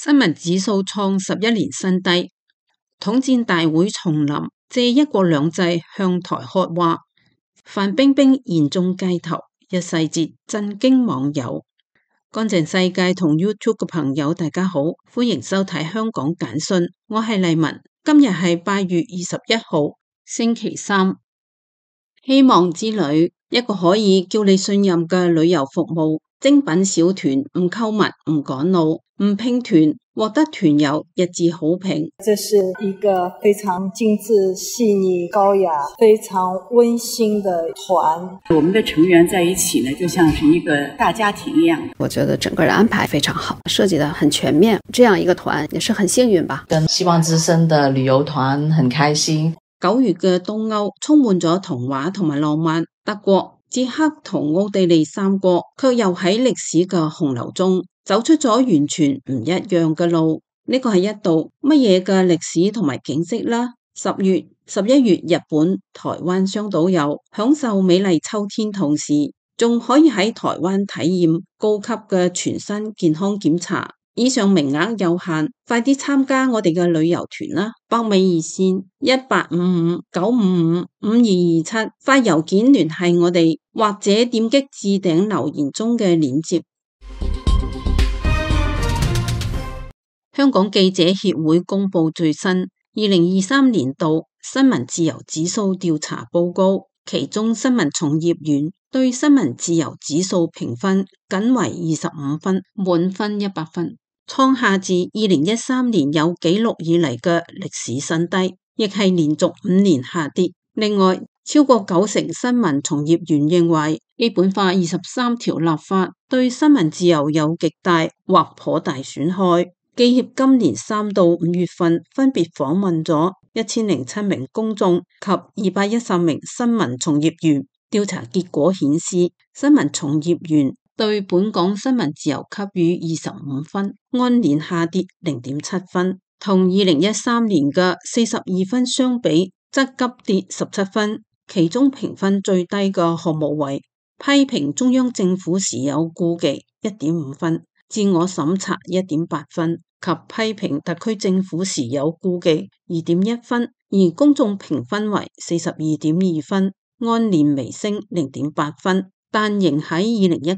新聞指數創11年新低，統戰大會重臨，借一國兩制向台喝話，范冰冰言中街頭，一細節震驚網友。乾淨世界同 YouTube 嘅朋友大家好，歡迎收睇香港簡訊，我係麗文，今日係8月21號星期三。希望之旅，一個可以叫你信任嘅旅遊服務，精品小團，唔購物，唔趕路，唔拼團，獲得團友一致好評。這是一個非常精緻、細膩、高雅、非常溫馨的團。我們的成員在一起呢，就像是一個大家庭一樣。我覺得整個的安排非常好，設計得很全面。這樣一個團也是很幸運吧。跟希望之聲的旅遊團很開心。9月嘅東歐充滿咗童話同埋浪漫，德國、捷克同奧地利三國卻又喺歷史嘅洪流中走出咗完全唔一樣嘅路。呢個係一道乜嘢嘅歷史同埋景色啦？10月、11月日本、台灣雙島遊，享受美麗秋天，同時仲可以喺台灣體驗高級嘅全身健康檢查。以上名額有限，快啲參加我哋嘅旅遊團啦！北美熱線1855-955-5227，發郵件聯繫我哋，或者點擊置頂留言中嘅鏈接。香港記者協會公布最新2023年度新聞自由指數調查報告，其中新聞從業員對新聞自由指數評分僅為25分，滿分100分。創下自2013年有紀錄以嚟嘅歷史新低，亦係連續5年下跌。另外，超過90%新聞從業員認為基本法23條立法對新聞自由有極大或頗大損害。記協今年3到5月份分別訪問咗1007名公眾及210名新聞從業員，調查結果顯示，新聞從業員對本港新聞自由給予25分，按年下跌0.7分，同2013年嘅42分相比，則急跌17分。其中評分最低嘅項目為批評中央政府時有顧忌1.5分，自我審查1.8分，及批評特區政府時有顧忌2.1分，而公眾評分為42.2分，按年微升0.8分。但仍喺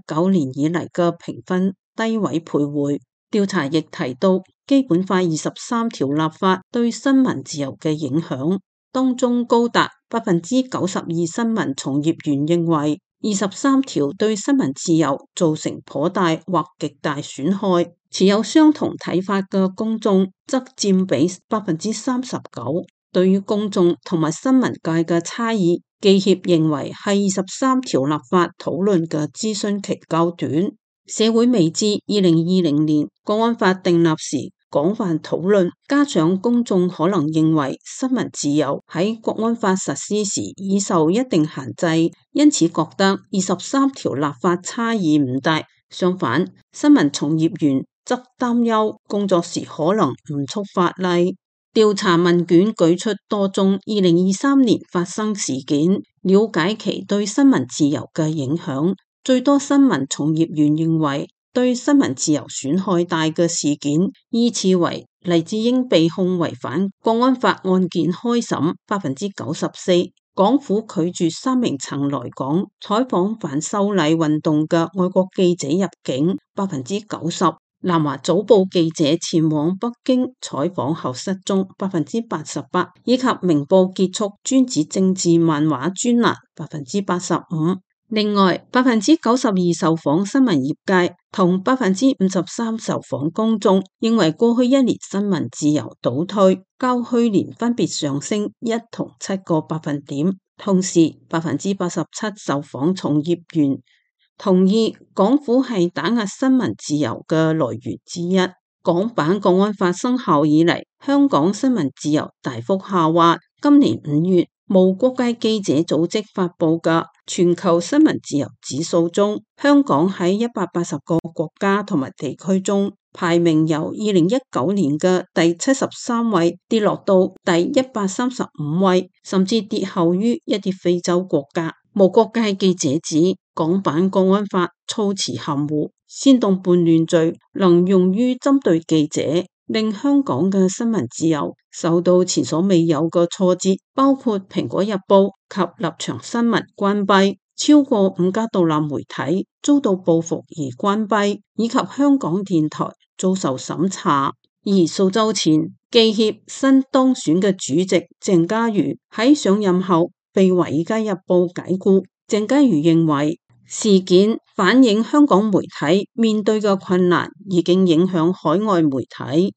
2019年以嚟嘅評分低位徘徊。調查亦提到基本法23條立法對新聞自由嘅影響，當中高達92%新聞從業員認為23條對新聞自由造成頗大或極大損害，持有相同睇法嘅公眾則佔比39%。對於公眾同埋新聞界嘅差異，記協認為係23條立法討論嘅諮詢期較短，社會未知2020年國安法訂立時廣泛討論，加上公眾可能認為新聞自由喺國安法實施時已受一定限制，因此覺得23條立法差異唔大。相反，新聞從業員則擔憂工作時可能唔觸法例。調查問卷舉出多宗2023年發生事件，了解其對新聞自由嘅影響。最多新聞從業員認為對新聞自由損害大嘅事件，依次為黎智英被控違反國安法案件開審94%，港府拒絕3名曾來港採訪反修例運動嘅外國記者入境90%。南華早報記者前往北京採訪後失蹤88%，以及明報結束專指政治漫畫專欄85%。另外92%受訪新聞業界同53%受訪公眾認為過去1年新聞自由倒退，較去年分別上升1同7個百分點。同時87%受訪從業員同意港府係打壓新聞自由嘅來源之一。港版國安法生效以嚟，香港新聞自由大幅下滑。今年5月，無國界記者組織發佈嘅全球新聞自由指數中，香港喺180個國家同埋地區中，排名由2019年嘅第73位跌落到第135位，甚至跌後於一啲非洲國家。無國界記者指港版國安法措辭含糊，煽動叛亂罪能用於針對記者，令香港嘅新聞自由受到前所未有嘅挫折，包括蘋果日報及立場新聞關閉，超過5家獨立媒體遭到報復而關閉，以及香港電台遭受審查。而數週前，記協新當選嘅主席鄭家瑜喺上任後被《華爾街日報》解僱。鄭家瑜認為事件反映香港媒體面對嘅困難已經影響海外媒體。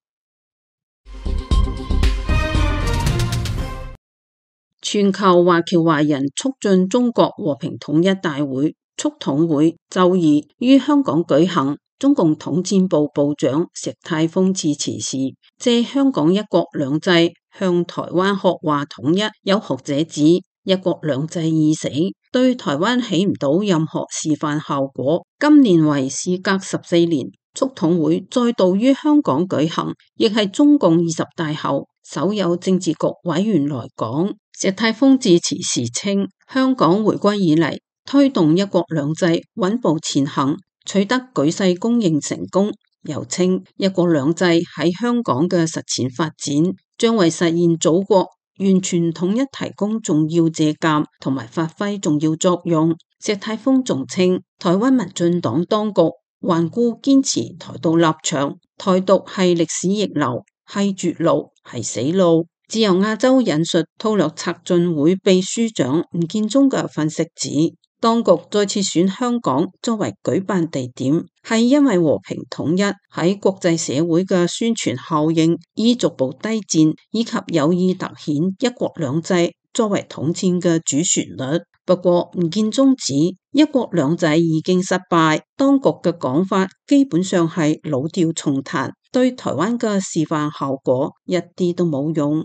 全球華僑華人促進中國和平統一大會促統會周二於香港舉行。中共統戰部部長石泰峰致辭時，借香港一國兩制向台灣學話統一。有學者指，一國兩制已死，對台灣起唔到任何示範效果。今年為事隔14年，促統會再度於香港舉行，亦係中共20大後首有政治局委員來港。石泰峰致辭時稱，香港回歸以嚟，推動一國兩制穩步前行，取得舉世公認成功。又稱一國兩制喺香港嘅實踐發展，將為實現祖國完全統一提供重要借鑒同埋發揮重要作用。石泰峰仲稱，台灣民進黨當局頑固堅持台獨立場，台獨係歷史逆流，係絕路，係死路。自由亞洲引述韜略策進會秘書長吳建中嘅分析指，當局再次選香港作為舉辦地點，係因為和平統一喺國際社會嘅宣傳效應已逐步低漸，以及有意凸顯一國兩制作為統戰嘅主旋律。不過吳建中指，一國兩制已經失敗，當局嘅講法基本上係老調重彈，對台灣嘅示範效果一啲都冇用。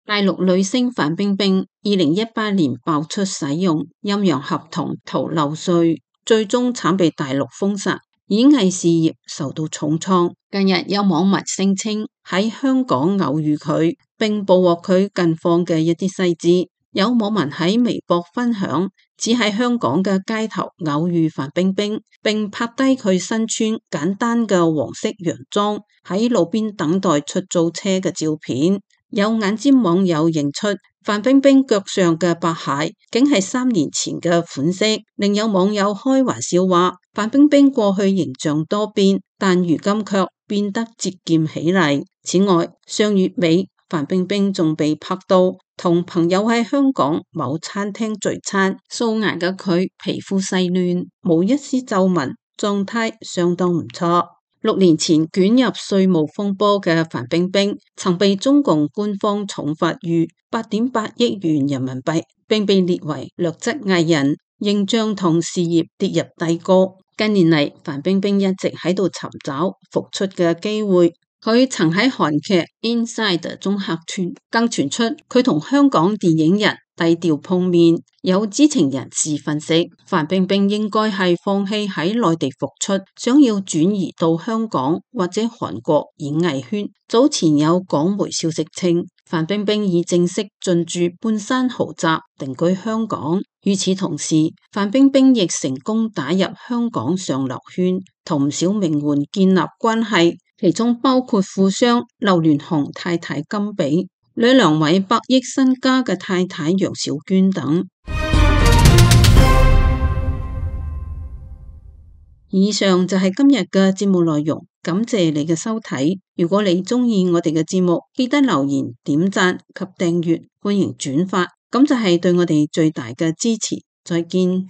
大陸女星范冰冰2018年爆出使用陰陽合同逃漏稅，最終慘被大陸封殺，演藝事業受到重創。近日有網民聲稱喺香港偶遇佢，並捕獲佢近況嘅一啲細節。有網民喺微博分享，只喺香港嘅街頭偶遇范冰冰，並拍低佢身穿簡單嘅黃色洋裝喺路邊等待出租車嘅照片。有眼尖網友認出范冰冰腳上嘅白鞋竟係3年前嘅款式，另有網友開玩笑話，范冰冰過去形象多變，但如今卻變得節儉起嚟。此外，上月尾范冰冰仲被拍到同朋友喺香港某餐廳聚餐，素顏嘅佢皮膚細嫩，冇一絲皺紋，狀態相當唔錯。6年前捲入稅務風波嘅范冰冰，曾被中共官方重罰逾8.8億元人民幣，並被列為劣質藝人，形象同事業跌入低谷。近年嚟，范冰冰一直喺度尋找復出嘅機會。佢曾喺韓劇《Inside》中客串，更傳出佢同香港電影人低調碰面。有知情人士分析，范冰冰應該係放棄喺內地復出，想要轉移到香港或者韓國演藝圈。早前有港媒消息稱，范冰冰已正式進駐半山豪宅，定居香港。與此同時，范冰冰亦成功打入香港上流圈，同唔少名媛建立關係，其中包括富商劉鑾雄太太金比、兩位100億身家嘅太太楊小娟等。以上就係今日嘅節目內容，感謝你嘅收睇。如果你鍾意我哋嘅節目，記得留言、點讚及訂閱，歡迎轉發，咁就係對我哋最大嘅支持。再見。